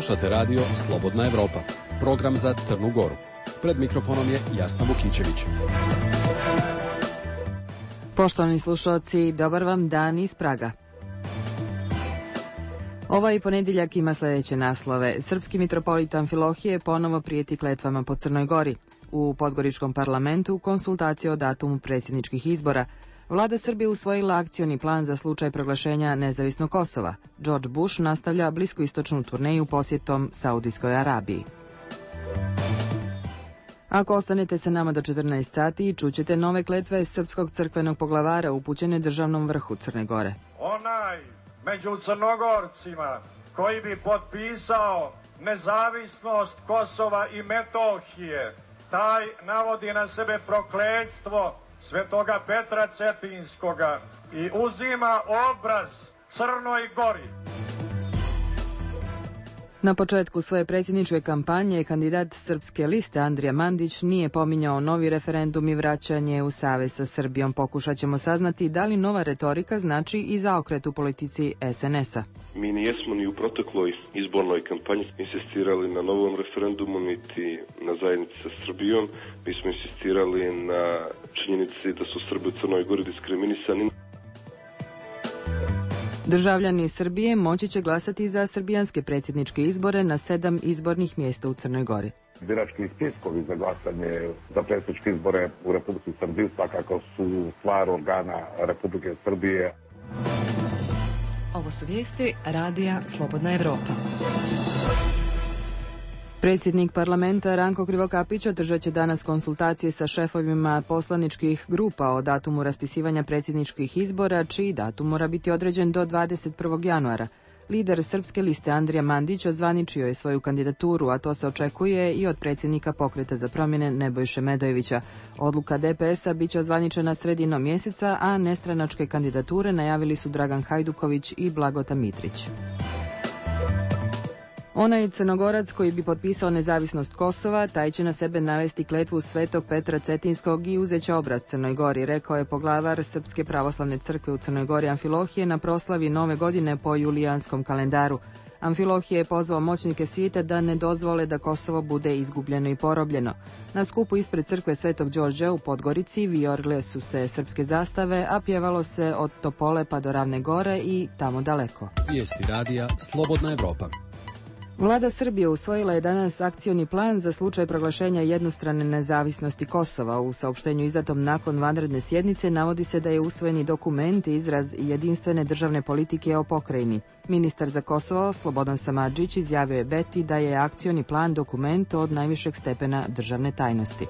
Slušate radio Slobodna Evropa, program za Crnu Goru. Pred mikrofonom je Jasna Vukićević. Poštovani slušalci, dobar vam dan iz Praga. Ovaj ponedjeljak ima sljedeće naslove. Srpski mitropolit Amfilohije ponovo prijeti kletvama po Crnoj Gori. U Podgoričkom parlamentu konsultacije o datumu predsjedničkih izbora. Vlada Srbije usvojila akcioni plan za slučaj proglašenja nezavisnog Kosova. George Bush nastavlja bliskoistočnu turneju posjetom Saudijskoj Arabiji. Ako ostanete sa nama do 14 sati, čućete nove kletve srpskog crkvenog poglavara upućene državnom vrhu Crne Gore. Onaj među Crnogorcima koji bi potpisao nezavisnost Kosova i Metohije, taj navodi na sebe prokletstvo Svetoga Petra Cetinskoga i uzima obraz Crnoj Gori. Na početku svoje predsjedničke kampanje kandidat Srpske liste Andrija Mandić nije pominjao novi referendum i vraćanje u savez sa Srbijom. Pokušat ćemo saznati da li nova retorika znači i zaokret u politici SNS-a. Mi nijesmo ni u protekloj izbornoj kampanji insistirali na novom referendumu niti na zajednici sa Srbijom. Mi smo insistirali na činjenici da su Srbi u Crnoj Gori diskriminisani. Državljani Srbije moći će glasati za srbijanske predsjedničke izbore na 7 izbornih mjesta u Crnoj Gori. Birački spiskovi za glasanje za predsjedničke izbore u Republici Srbiji svakako su stvar organa Republike Srbije. Ovo su vijesti Radija Slobodna Evropa. Predsjednik parlamenta Ranko Krivokapić održat će danas konsultacije sa šefovima poslaničkih grupa o datumu raspisivanja predsjedničkih izbora, čiji datum mora biti određen do 21. januara. Lider Srpske liste Andrija Mandić ozvaničio je svoju kandidaturu, a to se očekuje i od predsjednika Pokreta za promjene Nebojše Medojevića. Odluka DPS-a biće ozvaničena sredinom mjeseca, a nestranačke kandidature najavili su Dragan Hajduković i Blagota Mitrić. Onaj Crnogorac koji bi potpisao nezavisnost Kosova, taj će na sebe navesti kletvu Svetog Petra Cetinskog i uzeće obraz Crnoj Gori, rekao je poglavar Srpske pravoslavne crkve u Crnoj Gori Amfilohije na proslavi Nove godine po julijanskom kalendaru. Amfilohije je pozvao moćnike svijeta da ne dozvole da Kosovo bude izgubljeno i porobljeno. Na skupu ispred crkve Svetog Đorđa u Podgorici vijorile su se srpske zastave, a pjevalo se od Topole pa do Ravne Gore i tamo daleko. Vijesti radija Slobodna Evropa. Vlada Srbije usvojila je danas akcioni plan za slučaj proglašenja jednostrane nezavisnosti Kosova. U saopštenju izdatom nakon vanredne sjednice navodi se da je usvojeni dokument izraz jedinstvene državne politike o pokrajini. Ministar za Kosovo Slobodan Samardžić izjavio je Beti da je akcioni plan dokument od najvišeg stepena državne tajnosti.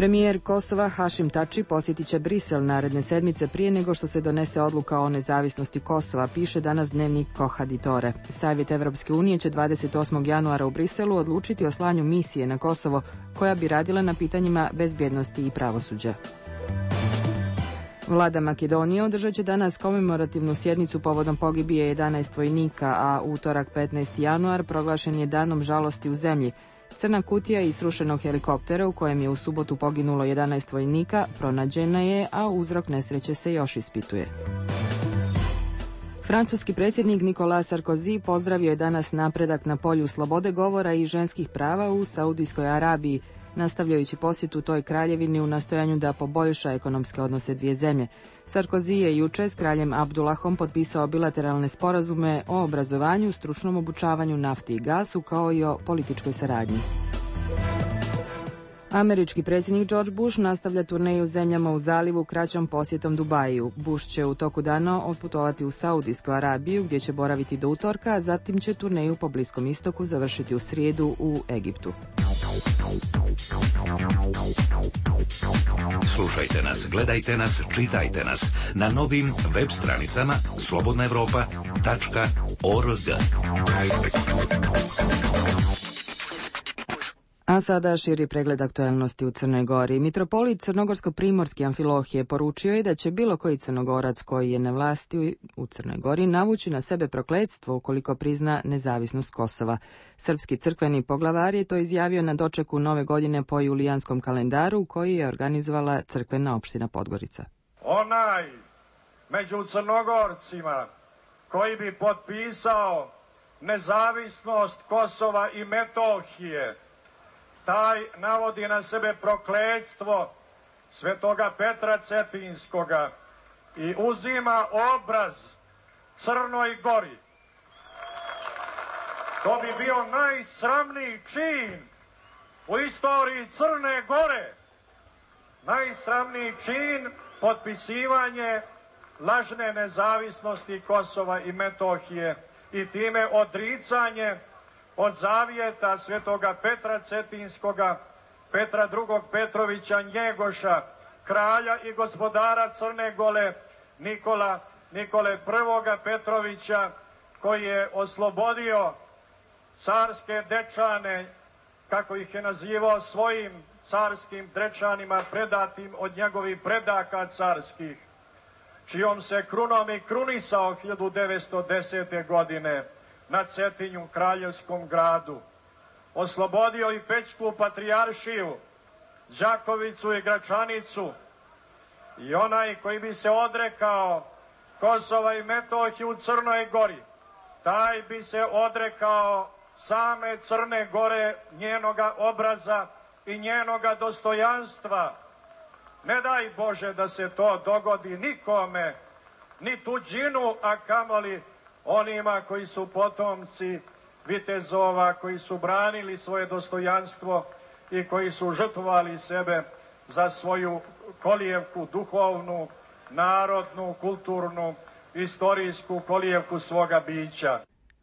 Premijer Kosova Hašim Tači posjetit će Brisel naredne sedmice prije nego što se donese odluka o nezavisnosti Kosova, piše danas dnevnik Kohaditore. Savjet Evropske unije će 28. januara u Briselu odlučiti o slanju misije na Kosovo koja bi radila na pitanjima bezbjednosti i pravosuđa. Vlada Makedonije održat će danas komemorativnu sjednicu povodom pogibije 11 vojnika, a utorak 15. januar proglašen je danom žalosti u zemlji. Crna kutija iz srušenog helikoptera u kojem je u subotu poginulo 11 vojnika pronađena je, a uzrok nesreće se još ispituje. Francuski predsjednik Nicolas Sarkozy pozdravio je danas napredak na polju slobode govora i ženskih prava u Saudijskoj Arabiji, nastavljajući posjetu toj kraljevini u nastojanju da poboljša ekonomske odnose dvije zemlje. Sarkozy je juče s kraljem Abdullahom potpisao bilateralne sporazume o obrazovanju, stručnom obučavanju, nafti i gasu, kao i o političkoj saradnji. Američki predsjednik George Bush nastavlja turneju zemljama u zalivu kraćom posjetom Dubaju. Bush će u toku dana otputovati u Saudijsku Arabiju gdje će boraviti do utorka, a zatim će turneju po Bliskom istoku završiti u srijedu u Egiptu. Slušajte nas, gledajte nas, čitajte nas na novim web stranicama slobodnaevropa.org. A sada širi pregled aktualnosti u Crnoj Gori. Mitropolit Crnogorsko-primorski Amfilohije poručio je da će bilo koji Crnogorac koji je na vlasti u Crnoj Gori navući na sebe prokletstvo ukoliko prizna nezavisnost Kosova. Srpski crkveni poglavar je to izjavio na dočeku Nove godine po julijanskom kalendaru koji je organizovala crkvena opština Podgorica. Onaj među Crnogorcima koji bi potpisao nezavisnost Kosova i Metohije. Taj navodi na sebe prokletstvo svetoga Petra Cetinskoga i uzima obraz Crnoj Gori. To bi bio najsramniji čin u istoriji Crne Gore. Najsramniji čin potpisivanje lažne nezavisnosti Kosova i Metohije i time odricanje od zavjeta svetoga Petra Cetinskoga, Petra II. Petrovića Njegoša, kralja i gospodara Crne Gore, Nikole I. Petrovića, koji je oslobodio carske dečane, kako ih je nazivao, svojim carskim dečanima predatim od njegovih predaka carskih, čijom se krunom i krunisao 1910. godine na Cetinju, kraljevskom gradu. Oslobodio i Pećku patrijaršiju, Đakovicu i Gračanicu, i onaj koji bi se odrekao Kosova i Metohije u Crnoj Gori, taj bi se odrekao same Crne Gore, njenoga obraza i njenoga dostojanstva. Ne daj Bože da se to dogodi nikome, ni tuđinu, a kamoli onima koji su potomci vitezova, koji su branili svoje dostojanstvo i koji su žrtvovali sebe za svoju kolijevku duhovnu, narodnu, kulturnu, istorijsku kolijevku svoga bića.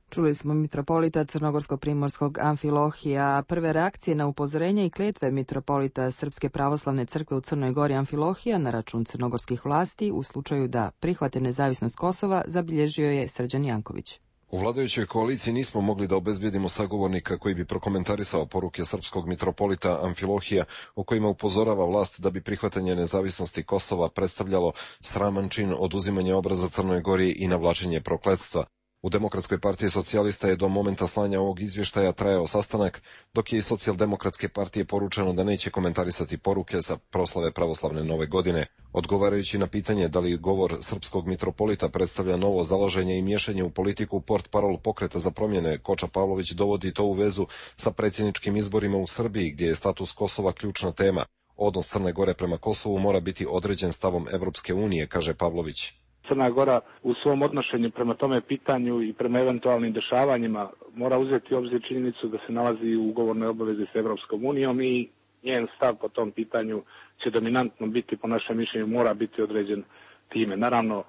Čuli smo mitropolita Crnogorsko-primorskog Amfilohija. Prve reakcije na upozorenje i kletve mitropolita Srpske pravoslavne crkve u Crnoj Gori Amfilohija na račun crnogorskih vlasti u slučaju da prihvate nezavisnost Kosova zabilježio je Srđan Janković. U vladajućoj koaliciji nismo mogli da obezbjedimo sagovornika koji bi prokomentarisao poruke srpskog mitropolita Amfilohija u kojima upozorava vlast da bi prihvatanje nezavisnosti Kosova predstavljalo sraman čin oduzimanja obraza Crnoj Gori i navlačenje prokletstva. U Demokratskoj partiji socijalista je do momenta slanja ovog izvještaja trajao sastanak, dok je iz Socijaldemokratske partije poručeno da neće komentarisati poruke za proslave pravoslavne nove godine. Odgovarajući na pitanje da li govor srpskog mitropolita predstavlja novo zalaženje i miješanje u politiku, portparol Pokreta za promjene Koča Pavlović dovodi to u vezu sa predsjedničkim izborima u Srbiji, gdje je status Kosova ključna tema. Odnos Crne Gore prema Kosovu mora biti određen stavom Evropske unije, kaže Pavlović. Crna Gora u svom odnošenju prema tome pitanju i prema eventualnim dešavanjima mora uzeti u obzir činjenicu da se nalazi u ugovornoj obavezi s Evropskom unijom i njen stav po tom pitanju će dominantno biti, po našem mišljenju, mora biti određen time. Naravno,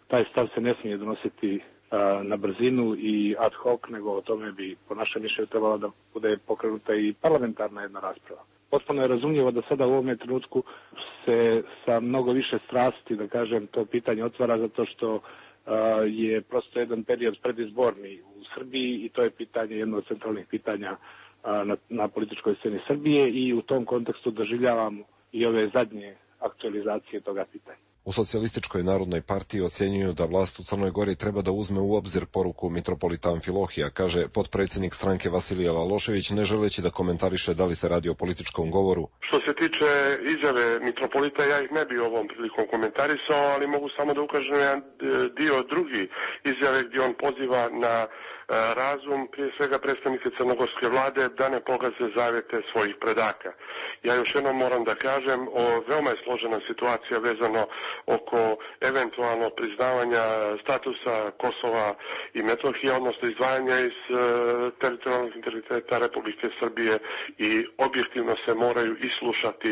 taj stav se ne smije donositi na brzinu i ad hoc, nego o tome bi, po našem mišljenju, trebala da bude pokrenuta i parlamentarna jedna rasprava. Potpuno je razumljivo da sada u ovom trenutku se sa mnogo više strasti, da kažem, to pitanje otvara zato što je prosto jedan period predizborni u Srbiji i to je pitanje, jedno od centralnih pitanja na političkoj sceni Srbije i u tom kontekstu doživljavamo i ove zadnje aktualizacije toga pitanja. U Socijalističkoj narodnoj partiji ocjenjuju da vlast u Crnoj Gori treba da uzme u obzir poruku mitropolita Amfilohija, kaže potpredsjednik stranke Vasilije Lalošević, ne želeći da komentariše da li se radi o političkom govoru. Što se tiče izjave mitropolita, ja ih ne bi ovom prilikom komentarisao, ali mogu samo da ukažem na jedan dio drugi izjave gdje on poziva na razum, prije svega predstavnike crnogorske vlade, da ne pogaze zavjete svojih predaka. Ja još jednom moram da kažem, veoma je složena situacija vezano oko eventualno priznavanja statusa Kosova i Metohije, odnosno izdvajanja iz teritorijalnog integriteta Republike Srbije i objektivno se moraju islušati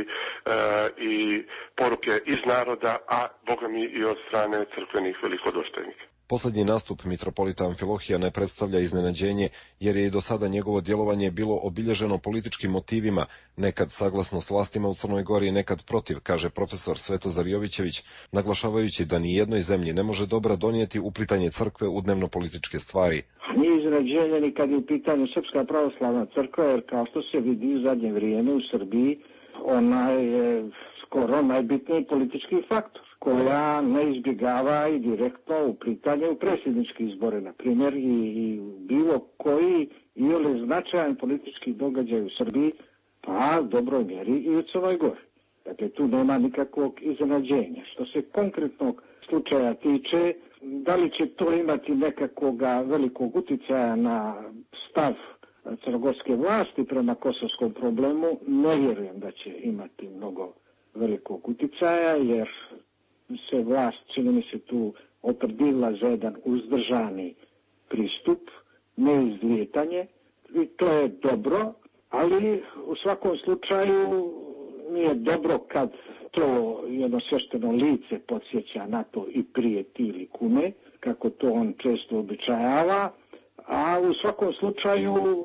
i poruke iz naroda, a bogami i od strane crkvenih velikodostojnika. Posljednji nastup mitropolita Amfilohija ne predstavlja iznenađenje, jer je i do sada njegovo djelovanje bilo obilježeno političkim motivima, nekad saglasno s vlastima u Crnoj Gori, nekad protiv, kaže profesor Svetozar Jovićević, naglašavajući da ni jednoj zemlji ne može dobra donijeti uplitanje crkve u dnevno-političke stvari. Nije iznenađenje ni kad je u pitanju Srpska pravoslavna crkva, jer kao što se vidi u zadnje vrijeme u Srbiji, ona je skoro najbitniji politički faktor, koja ne izbjegava i direktno uplitanje u predsjedničke izbore, na primjer, i bilo koji ili značajan politički događaj u Srbiji, pa u dobroj mjeri i u Crnoj Gori. Dakle, tu nema nikakvog iznenađenja. Što se konkretnog slučaja tiče, Da li će to imati nekakvoga velikog uticaja na stav crnogorske vlasti prema kosovskom problemu, ne vjerujem da će imati mnogo velikog uticaja, jer se vlast, čini mi se, tu opredila za jedan uzdržani pristup, neizlijetanje, i to je dobro, ali u svakom slučaju nije dobro kad to jedno svešteno lice podsjeća na to i prijeti ili kume, kako to on često običajava, a u svakom slučaju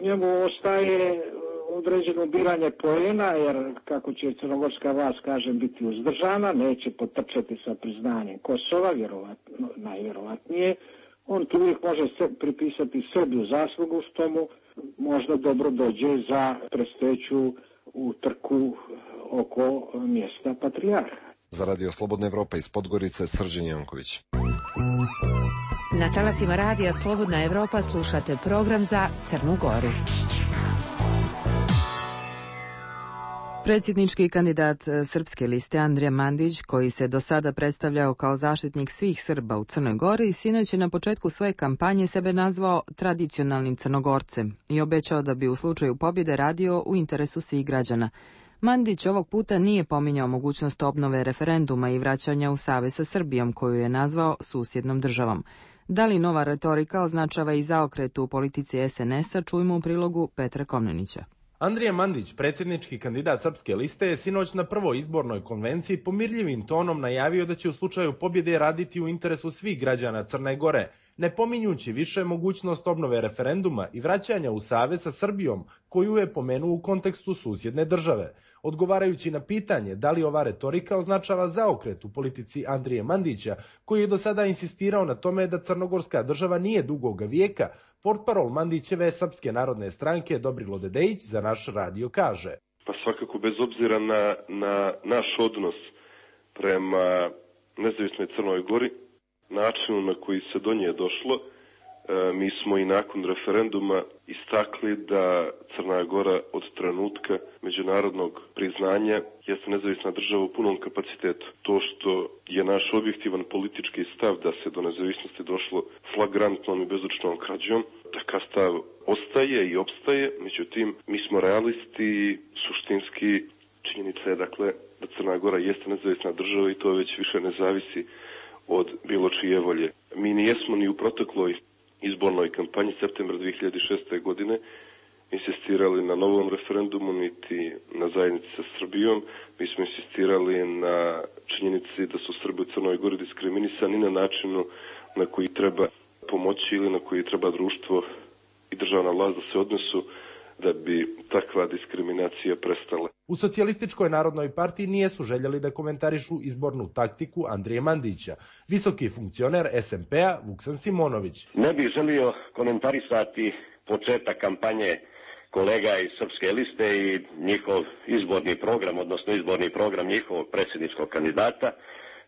njemu ostaje određeno biranje poena, jer kako će crnogorska vlast, kažem, biti uzdržana, neće potrčati sa priznanjem Kosova, najvjerovatnije, on tu uvijek može pripisati sebi u zaslugu, što mu možda dobro dođe za predstojeću utrku oko mjesta patrijarha. Za Radio Slobodna Evropa iz Podgorice, Srđan Janković. Na talasima Radija Slobodna Evropa slušate program za Crnu Goru. Predsjednički kandidat Srpske liste Andrija Mandić, koji se do sada predstavljao kao zaštitnik svih Srba u Crnoj Gori, sinoć je na početku svoje kampanje sebe nazvao tradicionalnim Crnogorcem i obećao da bi u slučaju pobjede radio u interesu svih građana. Mandić ovog puta nije pominjao mogućnost obnove referenduma i vraćanja u savez sa Srbijom, koju je nazvao susjednom državom. Da li nova retorika označava i zaokret u politici SNS-a, čujmo u prilogu Petra Komnenića. Andrija Mandić, predsjednički kandidat Srpske liste, je sinoć na prvoj izbornoj konvenciji pomirljivim tonom najavio da će u slučaju pobjede raditi u interesu svih građana Crne Gore, ne pominjući više mogućnost obnove referenduma i vraćanja u savez sa Srbijom, koju je pomenuo u kontekstu susjedne države. Odgovarajući na pitanje da li ova retorika označava zaokret u politici Andrije Mandića, koji je do sada insistirao na tome da crnogorska država nije dugoga vijeka, portparol Mandićeve Srpske narodne stranke Dobrilo Dedejić za naš radio kaže: Pa svakako, bez obzira na naš odnos prema nezavisnoj Crnoj Gori, načinu na koji se do nje došlo, mi smo i nakon referenduma istakli da Crna Gora od trenutka međunarodnog priznanja jeste nezavisna država u punom kapacitetu. To što je naš objektivan politički stav da se do nezavisnosti došlo flagrantnom i bezučnom krađom, takav stav ostaje i opstaje, međutim mi smo realisti i suštinski činjenica je dakle da Crna Gora jeste nezavisna država i to već više ne zavisi od bilo čije volje. Mi nijesmo ni u protekloj izbornoj kampanji septembra 2006. godine insistirali na novom referendumu niti na zajednici sa Srbijom. Mi smo insistirali na činjenici da su Srbi u Crnoj Gori diskriminisani na načinu na koji treba pomoći ili na koji treba društvo i državna vlast da se odnesu da bi takva diskriminacija prestala. U Socijalističkoj narodnoj partiji nijesu željeli da komentarišu izbornu taktiku Andrije Mandića. Visoki funkcioner SMP-a Vuksan Simonović: Ne bih želio komentarisati početak kampanje kolega iz Srpske liste i njihov izborni program, odnosno izborni program njihovog predsjedničkog kandidata.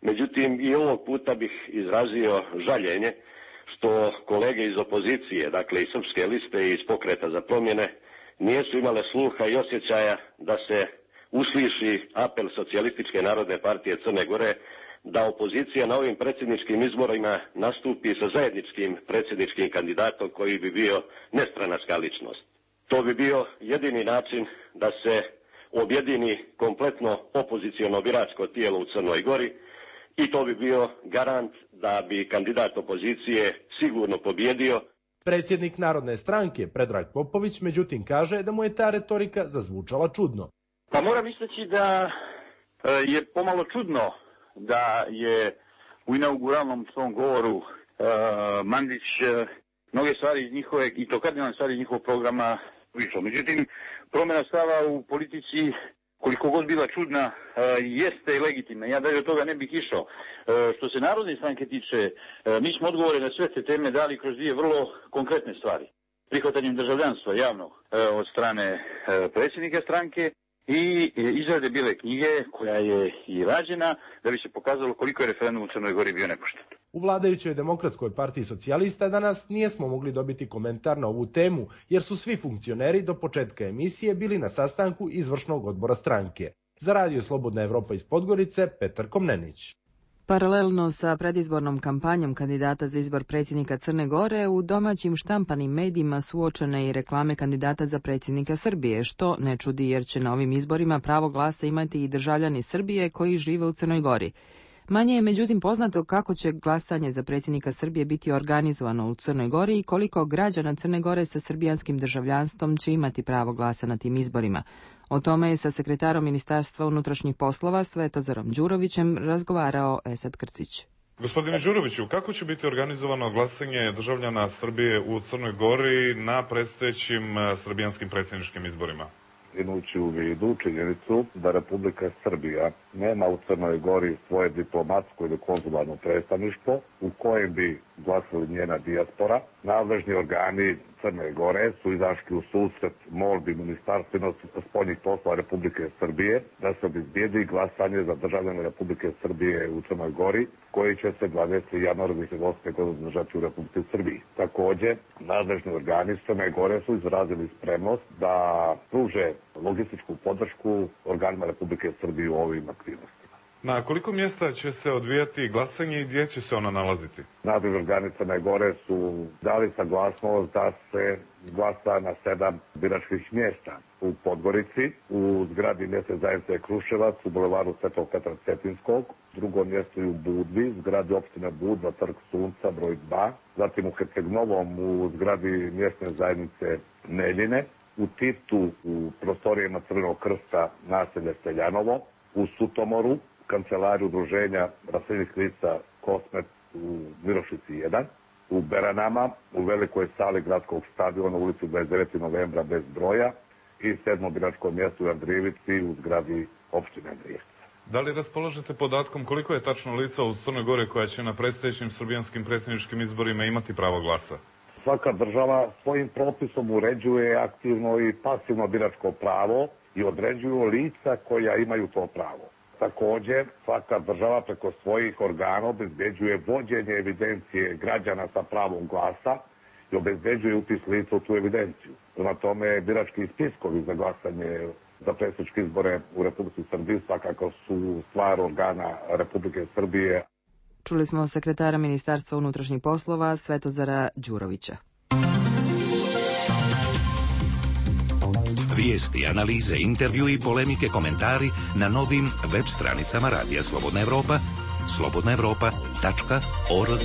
Međutim, i ovog puta bih izrazio žaljenje što kolege iz opozicije, dakle iz Srpske liste i iz Pokreta za promjene, nijesu imale sluha i osjećaja da se usliši apel Socijalističke narodne partije Crne Gore da opozicija na ovim predsjedničkim izborima nastupi sa zajedničkim predsjedničkim kandidatom koji bi bio nestranačka ličnost. To bi bio jedini način da se objedini kompletno opoziciono biračko tijelo u Crnoj Gori i to bi bio garant da bi kandidat opozicije sigurno pobjedio. Predsjednik Narodne stranke Predrag Popović međutim kaže da mu je ta retorika zazvučala čudno. Pa moram istaći da je pomalo čudno da je u inauguralnom svom govoru Mandić mnoge stvari iz njihove, i to kardinalne stvari iz njihovog programa išlo. Međutim, promjena stava u politici, koliko god bila čudna, jeste legitimna. Ja dalje od toga ne bih išao. Što se Narodne stranke tiče, mi smo odgovore na sve te teme dali kroz dvije vrlo konkretne stvari. Prihvatanjem državljanstva javnog od strane predsjednika stranke i izrade bijele knjige koja je i rađena da bi se pokazalo koliko je referendum u Crnoj Gori bio nepošten. U vladajućoj Demokratskoj partiji socijalista danas nijesmo mogli dobiti komentar na ovu temu, jer su svi funkcioneri do početka emisije bili na sastanku izvršnog odbora stranke. Za Radio Slobodna Evropa iz Podgorice, Petar Komnenić. Paralelno sa predizbornom kampanjom kandidata za izbor predsjednika Crne Gore, u domaćim štampanim medijima su uočene i reklame kandidata za predsjednika Srbije, što ne čudi jer će na ovim izborima pravo glasa imati i državljani Srbije koji žive u Crnoj Gori. Manje je međutim poznato kako će glasanje za predsjednika Srbije biti organizovano u Crnoj Gori i koliko građana Crne Gore sa srbijanskim državljanstvom će imati pravo glasa na tim izborima. O tome je sa sekretarom Ministarstva unutrašnjih poslova Svetozarom Đurovićem razgovarao Esad Krcić. Gospodine Đuroviću, kako će biti organizovano glasanje državljana Srbije u Crnoj Gori na predstojećim srbijanskim predsjedničkim izborima? Imajući u vidu činjenicu da Republika Srbija nema u Crnoj Gori svoje diplomatsko ili konzularno predstavništvo u kojem bi glasali njena dijaspora, nadležni organi Crne Gore su izašli u susret molbi Ministarstva spoljnih poslova Republike Srbije da se obezbijedi glasanje za državljane Republike Srbije u Crnoj Gori, koji će se 20. januara 2008. godine održati u Republike Srbiji. Također, nadležni organi Crne Gore su izrazili spremnost da pruže logističku podršku organima Republike Srbije u ovim aktivnostima. Na koliko mjesta će se odvijati glasanje i gdje će se ono nalaziti? Nadležni organi Crne Gore su dali saglasnost da se glasa na 7 biračkih mjesta. U Podgorici, u zgradi mjesne zajednice Kruševac, u bulevaru Svetog Petra Cetinskog, drugo mjesto je u Budvi, zgradi opštine Budva, Trg Sunca, broj 2, zatim u Herceg-Novom, u zgradi mjesne zajednice Neljine, u Titu, u prostorijama Crvenog krsta, naselje Seljanovo, u Sutomoru, kancelariju udruženja raseljenih lica Kosmet u Mirošici 1, u Beranama, u velikoj sali gradskog stadiona u ulici 29. novembra bez broja i 7. biračko mjesto u Andrijevici u zgradi opštine Andrijevica. Da li raspolažete podatkom koliko je tačno lica u Crnoj Gori koja će na predstojećim srbijanskim predsjedničkim izborima imati pravo glasa? Svaka država svojim propisom uređuje aktivno i pasivno biračko pravo i određuju lica koja imaju to pravo. Također, svaka država preko svojih organa obezbeđuje vođenje evidencije građana sa pravom glasa i obezbeđuje upis lica u tu evidenciju. Prema tome, birački spiskovi za glasanje za predsjedničke izbore u Republici Srbiji svakako su stvar organa Republike Srbije. Čuli smo sekretara Ministarstva unutrašnjih poslova Svetozara Đurovića. Vijesti, analize, intervju i polemike, komentari na novim web stranicama Radija Slobodna Evropa, slobodnaevropa.org.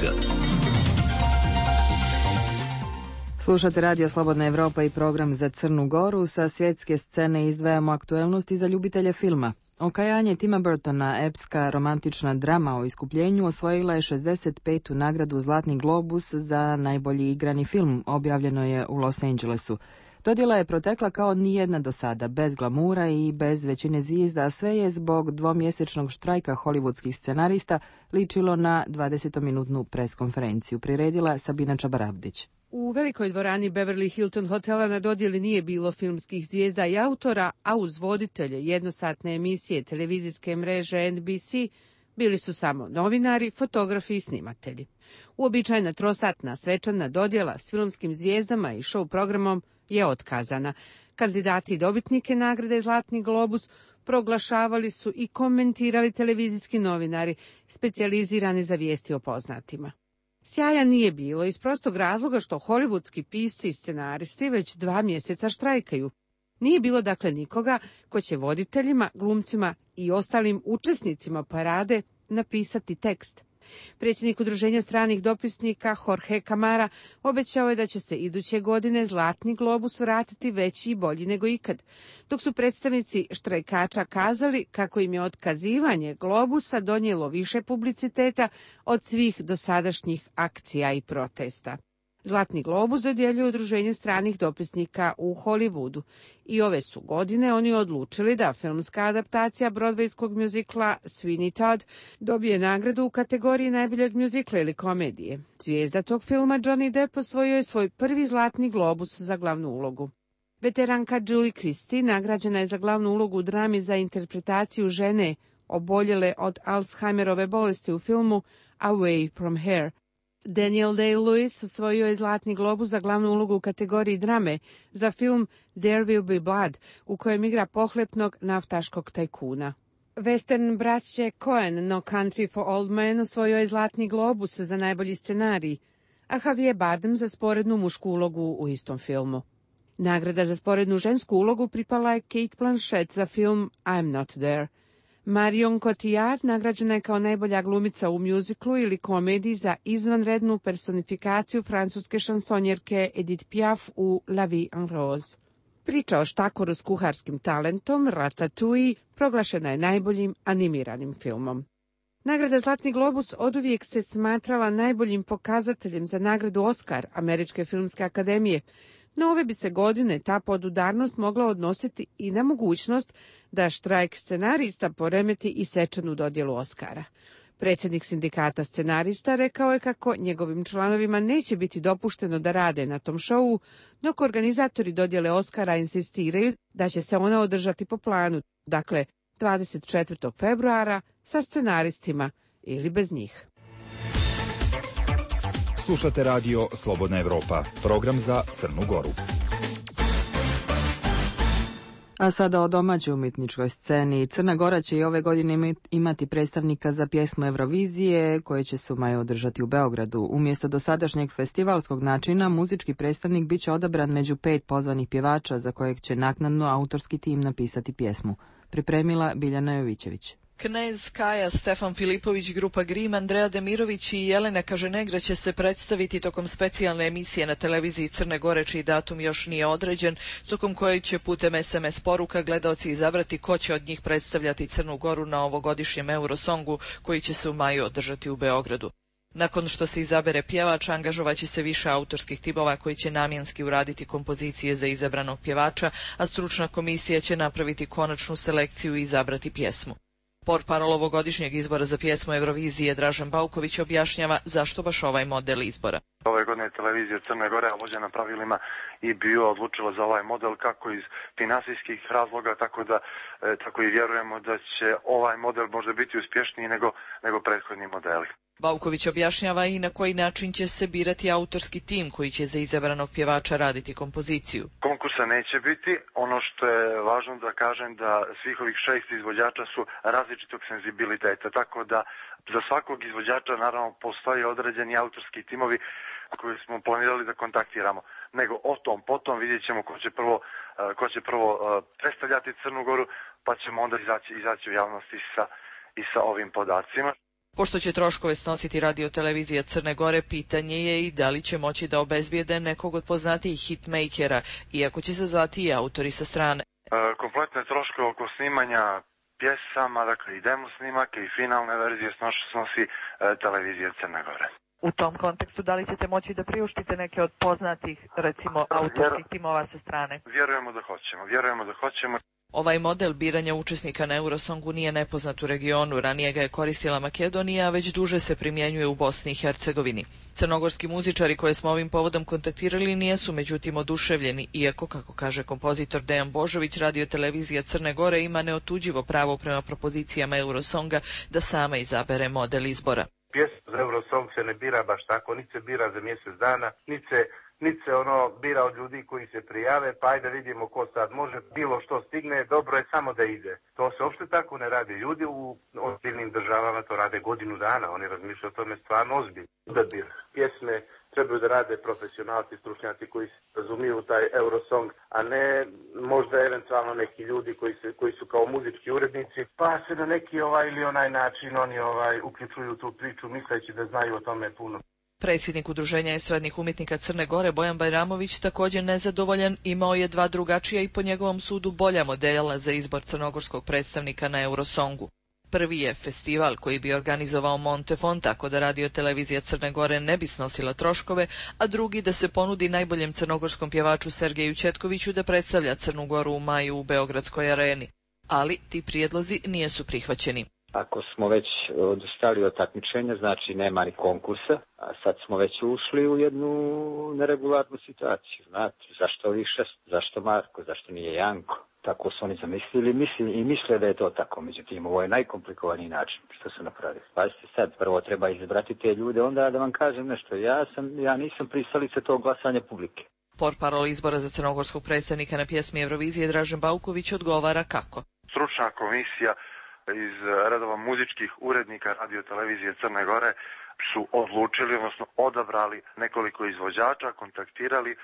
Slušate Radio Slobodna Evropa i program za Crnu Goru. Sa svjetske scene izdvajamo aktuelnosti za ljubitelje filma. Okajanje Tima Burtona, epska romantična drama o iskupljenju, osvojila je 65. nagradu Zlatni globus za najbolji igrani film, objavljeno je u Los Angelesu. Dodjela je protekla kao nijedna do sada, bez glamura i bez većine zvijezda, a sve je zbog dvomjesečnog štrajka hollywoodskih scenarista ličilo na 20-minutnu preskonferenciju, priredila Sabina Čabarabdić. U velikoj dvorani Beverly Hilton hotela na dodjeli nije bilo filmskih zvijezda i autora, a uz voditelje jednosatne emisije televizijske mreže NBC bili su samo novinari, fotografi i snimatelji. Uobičajena trosatna svečana dodjela s filmskim zvijezdama i show programom je otkazana. Kandidati i dobitnike nagrade Zlatni globus proglašavali su i komentirali televizijski novinari, specijalizirani za vijesti o poznatima. Sjaja nije bilo iz prostog razloga što hollywoodski pisci i scenaristi već 2 mjeseca štrajkaju. Nije bilo dakle nikoga ko će voditeljima, glumcima i ostalim učesnicima parade napisati tekst. Predsjednik Udruženja stranih dopisnika Jorge Camara obećao je da će se iduće godine Zlatni globus vratiti veći i bolji nego ikad, dok su predstavnici štrajkača kazali kako im je otkazivanje globusa donijelo više publiciteta od svih dosadašnjih akcija i protesta. Zlatni globus dodjeljuje Udruženje stranih dopisnika u Hollywoodu i ove su godine oni odlučili da filmska adaptacija brodvejskog mjuzikla Sweeney Todd dobije nagradu u kategoriji najboljeg mjuzikla ili komedije. Zvijezda tog filma Johnny Depp osvojio je svoj prvi Zlatni globus za glavnu ulogu. Veteranka Julie Christie nagrađena je za glavnu ulogu u drami za interpretaciju žene oboljele od Alzheimerove bolesti u filmu Away from Here. Daniel Day-Lewis osvojio je Zlatni globus za glavnu ulogu u kategoriji drame za film There Will Be Blood, u kojem igra pohlepnog naftaškog tajkuna. Western braće Coen, No Country for Old Men osvojio je Zlatni globus za najbolji scenarij, a Javier Bardem za sporednu mušku ulogu u istom filmu. Nagrada za sporednu žensku ulogu pripala je Cate Blanchett za film I'm Not There. Marion Cotillard nagrađena je kao najbolja glumica u mjuziklu ili komediji za izvanrednu personifikaciju francuske šansonjerke Edith Piaf u La Vie en Rose. Priča o štakoru s kuharskim talentom, Ratatouille, proglašena je najboljim animiranim filmom. Nagrada Zlatni globus oduvijek se smatrala najboljim pokazateljem za nagradu Oscar Američke filmske akademije, no ove bi se godine ta podudarnost mogla odnositi i na mogućnost da štrajk scenarista poremeti i svečanu dodjelu Oscara. Predsjednik sindikata scenarista rekao je kako njegovim članovima neće biti dopušteno da rade na tom šovu, dok organizatori dodjele Oscara insistiraju da će se ona održati po planu, dakle 24. februara sa scenaristima ili bez njih. Slušate radio Slobodna Evropa, program za Crnu Goru. A sada o domaćoj umjetničkoj sceni. Crna Gora će i ove godine imati predstavnika za pjesmu Eurovizije, koje će se u maju održati u Beogradu. Umjesto dosadašnjeg festivalskog načina, muzički predstavnik bit će odabran među 5 pozvanih pjevača, za kojeg će naknadno autorski tim napisati pjesmu. Pripremila Biljana Jovićević. Knez Kaja, Stefan Filipović, grupa Grim, Andreja Demirović i Jelena Kaženegra će se predstaviti tokom specijalne emisije na televiziji Crne Gore, čiji datum još nije određen, tokom koje će putem SMS poruka gledaoci izabrati ko će od njih predstavljati Crnu Goru na ovogodišnjem Eurosongu, koji će se u maju održati u Beogradu. Nakon što se izabere pjevač, angažovaće se više autorskih timova koji će namjenski uraditi kompozicije za izabranog pjevača, a stručna komisija će napraviti konačnu selekciju i izabrati pjesmu. Portparol ovogodišnjeg izbora za pjesmu Eurovizije Dražen Bauković objašnjava zašto baš ovaj model izbora. Ove godine televizija Crne Gore, vođena pravilima, i bio odlučila za ovaj model kako iz finansijskih razloga, tako i vjerujemo da će ovaj model možda biti uspješniji nego prethodni modeli. Bauković objašnjava i na koji način će se birati autorski tim koji će za izabranog pjevača raditi kompoziciju. Konkursa neće biti. Ono što je važno da kažem da svih ovih 6 izvođača su različitog senzibiliteta, tako da za svakog izvođača naravno postoji određeni autorski timovi koji smo planirali da kontaktiramo. Nego o tom potom vidjet ćemo ko će prvo predstavljati Crnu Goru, pa ćemo onda izaći u javnosti i sa ovim podacima. Pošto će troškove snositi radiotelevizija Crne Gore, pitanje je i da li će moći da obezbijede nekog od poznatijih hitmakera, iako će se zvati i autori sa strane. Kompletne troškove oko snimanja pjesama, dakle i demo snimake i finalne verzije snosi televizija Crne Gore. U tom kontekstu, da li ćete moći da priuštite neke od poznatih, recimo, autorskih timova sa strane? Vjerujemo da hoćemo. Ovaj model biranja učesnika na Eurosongu nije nepoznat u regionu, ranije ga je koristila Makedonija, a već duže se primjenjuje u Bosni i Hercegovini. Crnogorski muzičari koje smo ovim povodom kontaktirali nijesu međutim oduševljeni, iako, kako kaže kompozitor Dejan Božović, radiotelevizija Crne Gore ima neotuđivo pravo prema propozicijama Eurosonga da sama izabere model izbora. Pjesma za Eurosong se ne bira baš tako, niti se bira za mjesec dana, niti se bira od ljudi koji se prijave, pa ajde vidimo ko sad može, bilo što stigne, dobro je samo da ide. To se uopšte tako ne radi. Ljudi u ozbiljnim državama to rade godinu dana, oni razmišljaju o tome stvarno ozbiljno. Odabir pjesme trebaju da rade profesionalci, stručnjaci koji se razumiju taj Eurosong, a ne možda eventualno neki ljudi koji su kao muzički urednici, pa se na neki ili onaj način oni uključuju tu priču misleći da znaju o tome puno. Predsjednik Udruženja estradnih umjetnika Crne Gore Bojan Bajramović, također nezadovoljan, imao je 2 drugačija i po njegovom sudu bolja modela za izbor crnogorskog predstavnika na Eurosongu. Prvi je festival koji bi organizovao Montefon, tako da radiotelevizija Crne Gore ne bi snosila troškove, a drugi da se ponudi najboljem crnogorskom pjevaču Sergeju Četkoviću da predstavlja Crnu Goru u maju u Beogradskoj areni. Ali ti prijedlozi nisu prihvaćeni. Ako smo već odustali od takmičenja, znači nema ni konkursa, a sad smo već ušli u jednu neregularnu situaciju. Znate, zašto ovih 6, zašto Marko, zašto nije Janko? Tako su oni zamislili i misle da je to tako. Međutim, ovo je najkomplikovaniji način što su napravili. Pazite sad, prvo treba izabrati te ljude, onda da vam kažem nešto. Ja nisam pristalica tog glasanja publike. Portparol izbora za crnogorskog predstavnika na pjesmi Eurovizije Dražen Bauković odgovara kako. Stručna komisija iz redova muzičkih urednika radio televizije Crne Gore su odlučili, odnosno odabrali nekoliko izvođača, kontaktirali,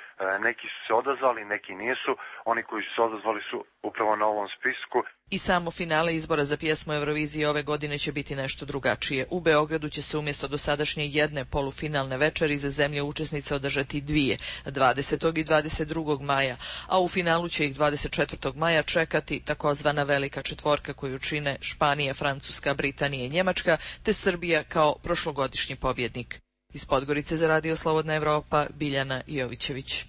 neki su se odazvali, neki nisu. Oni koji su se odazvali su upravo na ovom spisku. I samo finale izbora za pjesmu Eurovizije ove godine će biti nešto drugačije. U Beogradu će se umjesto dosadašnje jedne polufinalne večeri za zemlje učesnice održati dvije, 20. i 22. maja, a u finalu će ih 24. maja čekati takozvana velika četvorka koju čine Španija, Francuska, Britanija i Njemačka, te Srbija kao prošlogodišnji pobjednik. Iz Podgorice za Radio Slobodna Evropa, Biljana Jovićević.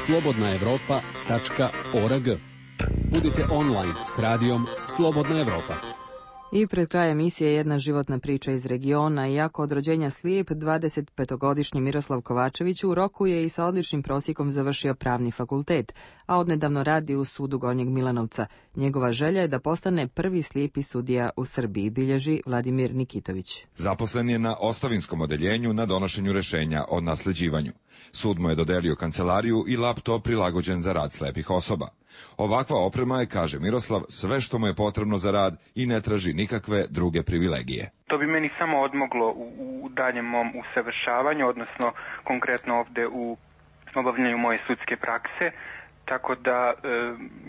slobodnaevropa.org. Budite online s radijom Slobodna Evropa. I pred kraj emisije jedna životna priča iz regiona. Iako od rođenja slijep, 25-godišnji Miroslav Kovačević u roku je i sa odličnim prosjekom završio pravni fakultet, a odnedavno radi u sudu Gornjeg Milanovca. Njegova želja je da postane prvi slijepi sudija u Srbiji, bilježi Vladimir Nikitović. Zaposlen je na ostavinskom odeljenju na donošenju rešenja o nasleđivanju. Sud mu je dodelio kancelariju i laptop prilagođen za rad slepih osoba. Ovakva oprema je, kaže Miroslav, sve što mu je potrebno za rad i ne traži nikakve druge privilegije. To bi meni samo odmoglo u daljem mom usavršavanju, odnosno konkretno ovde u obavljanju moje sudske prakse, tako da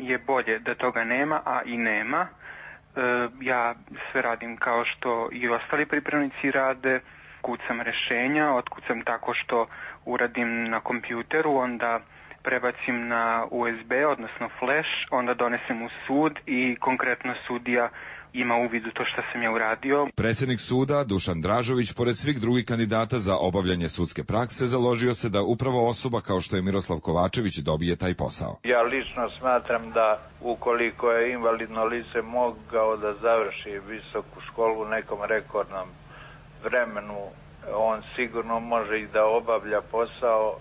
je bolje da toga nema, a i nema. Ja sve radim kao što i ostali pripravnici rade, kucam rešenja, otkucam tako što uradim na kompjuteru, onda prebacim na USB, odnosno flash, onda donesem u sud i konkretno sudija ima uvid u to što sam ja uradio. Predsjednik suda Dušan Dražović, pored svih drugih kandidata za obavljanje sudske prakse, založio se da upravo osoba kao što je Miroslav Kovačević dobije taj posao. Ja lično smatram da ukoliko je invalidno lice mogao da završi visoku školu u nekom rekordnom vremenu, on sigurno može i da obavlja posao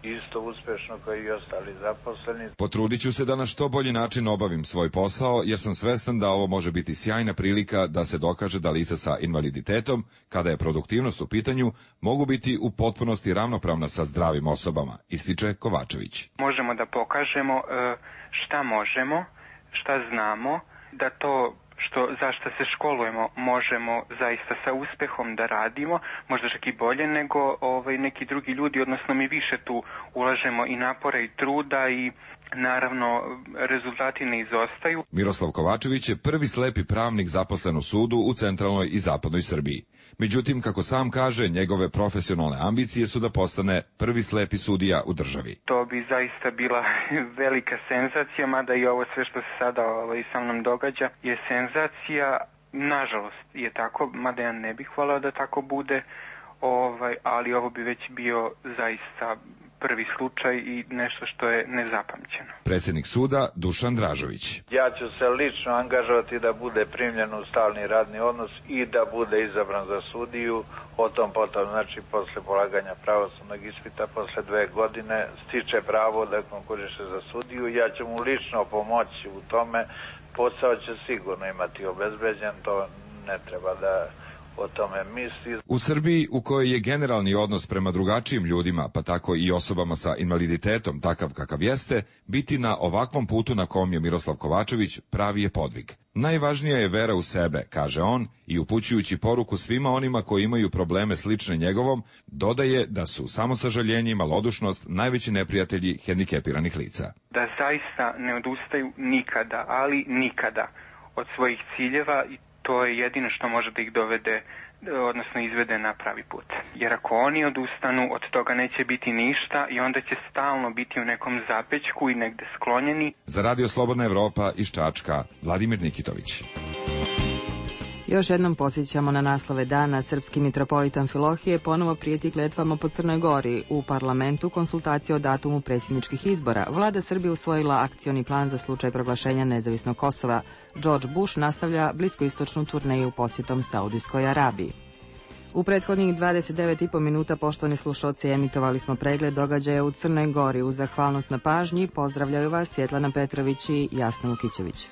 isto uspešno kao i ostali zaposleni. Potrudit ću se da na što bolji način obavim svoj posao, jer sam svestan da ovo može biti sjajna prilika da se dokaže da lica sa invaliditetom, kada je produktivnost u pitanju, mogu biti u potpunosti ravnopravna sa zdravim osobama, ističe Kovačević. Možemo da pokažemo šta možemo, šta znamo, da to za što se školujemo možemo zaista sa uspehom da radimo, možda čak i bolje nego neki drugi ljudi, odnosno mi više tu ulažemo i napora i truda i naravno rezultati ne izostaju. Miroslav Kovačević je prvi slepi pravnik zaposlen u sudu u centralnoj i zapadnoj Srbiji. Međutim, kako sam kaže, njegove profesionalne ambicije su da postane prvi slepi sudija u državi. To bi zaista bila velika senzacija, mada i ovo sve što se sada sa mnom događa je senzacija. Nažalost je tako, mada ja ne bih hvalao da tako bude, ali ovo bi već bio zaista prvi slučaj i nešto što je nezapamćeno. Predsjednik suda Dušan Dražović. Ja ću se lično angažovati da bude primljen u stalni radni odnos i da bude izabran za sudiju. O tom potom, znači, posle polaganja pravosudnog ispita, posle 2 godine, stiče pravo da konkuriše za sudiju. Ja ću mu lično pomoći u tome. Posao će sigurno imati obezbeđen, to ne treba da o tome misli. U Srbiji, u kojoj je generalni odnos prema drugačijim ljudima, pa tako i osobama sa invaliditetom takav kakav jeste, biti na ovakvom putu na kom je Miroslav Kovačević pravi je podvig. Najvažnija je vera u sebe, kaže on, i upućujući poruku svima onima koji imaju probleme slične njegovom, dodaje da su samosažaljenje i malodušnost najveći neprijatelji hendikepiranih lica. Da zaista ne odustaju nikada, ali nikada od svojih ciljeva, i to je jedino što može da ih dovede, odnosno izvede na pravi put. Jer ako oni odustanu, od toga neće biti ništa i onda će stalno biti u nekom zapećku i negde sklonjeni. Za Radio Slobodna Evropa iz Čačka, Vladimir Nikitović. Još jednom posjećamo na naslove dana. Srpski mitropolit Amfilohije ponovo prijeti kletvama po Crnoj Gori. U parlamentu konsultacije o datumu predsjedničkih izbora. Vlada Srbije usvojila akcioni plan za slučaj proglašenja nezavisnog Kosova. George Bush nastavlja bliskoistočnu turneju posjetom Saudijskoj Arabiji. U prethodnih 29,5 minuta, poštovani slušalci, emitovali smo pregled događaja u Crnoj Gori. Uz zahvalnost na pažnji pozdravljaju vas Svjetlana Petrović i Jasna Vukićević.